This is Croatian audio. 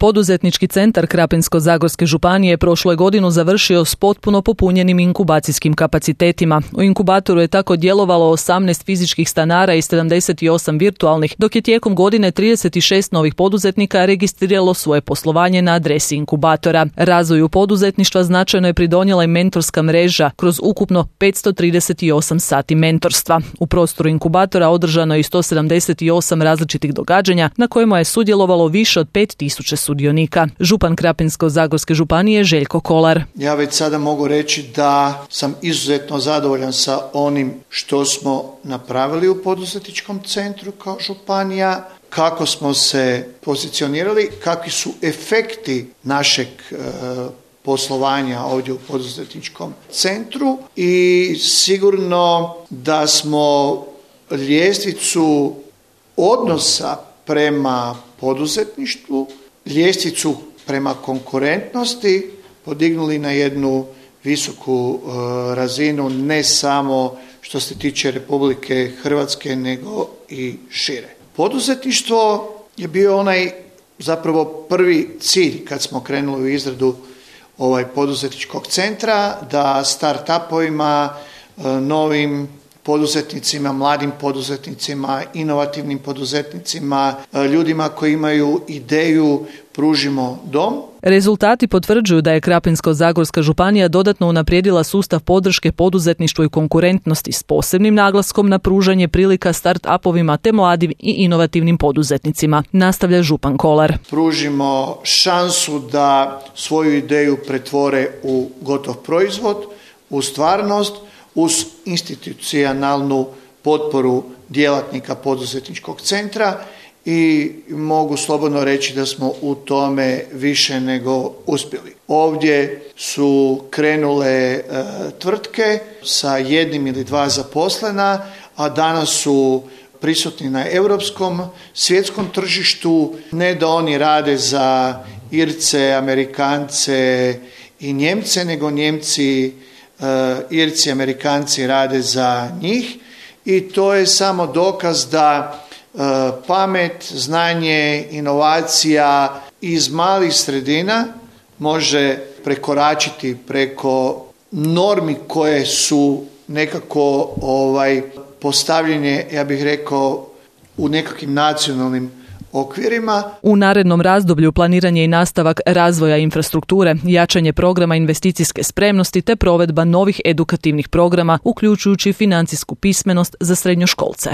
Poduzetnički centar Krapinsko-zagorske županije prošlu je godinu završio s potpuno popunjenim inkubacijskim kapacitetima. U inkubatoru je tako djelovalo 18 fizičkih stanara i 78 virtualnih, dok je tijekom godine 36 novih poduzetnika registriralo svoje poslovanje na adresi inkubatora. Razvoju poduzetništva značajno je pridonijela i mentorska mreža kroz ukupno 538 sati mentorstva. U prostoru inkubatora održano je 178 različitih događanja na kojima je sudjelovalo više od 5000 sudionika. Župan Krapinsko-zagorske županije Željko Kolar. Ja već sada mogu reći da sam izuzetno zadovoljan sa onim što smo napravili u poduzetničkom centru kao županija, kako smo se pozicionirali, kakvi su efekti našeg poslovanja ovdje u poduzetničkom centru i sigurno da smo ljestvicu odnosa prema poduzetništvu, ljestvicu prema konkurentnosti podignuli na jednu visoku razinu, ne samo što se tiče Republike Hrvatske, nego i šire. Poduzetništvo je bio onaj zapravo prvi cilj kad smo krenuli u izradu poduzetničkog centra, da start-upovima, novim poduzetnicima, mladim poduzetnicima, inovativnim poduzetnicima, ljudima koji imaju ideju pružimo dom. Rezultati potvrđuju da je Krapinsko-zagorska županija dodatno unaprijedila sustav podrške poduzetništvu i konkurentnosti s posebnim naglaskom na pružanje prilika start-upovima te mladim i inovativnim poduzetnicima, nastavlja župan Kolar. Pružimo šansu da svoju ideju pretvore u gotov proizvod, u stvarnost, uz institucionalnu potporu djelatnika poduzetničkog centra i mogu slobodno reći da smo u tome više nego uspjeli. Ovdje su krenule tvrtke sa 1 ili 2 zaposlena, a danas su prisutni na europskom, svjetskom tržištu. Ne da oni rade za Irce, Amerikance i Njemce, nego Njemci, Irci, Amerikanci rade za njih i to je samo dokaz da pamet, znanje, inovacija iz malih sredina može prekoračiti preko normi koje su nekako postavljene, ja bih rekao, u nekakvim nacionalnim okvirima. U narednom razdoblju planiran je i nastavak razvoja infrastrukture, jačanje programa investicijske spremnosti te provedba novih edukativnih programa, uključujući financijsku pismenost za srednjoškolce.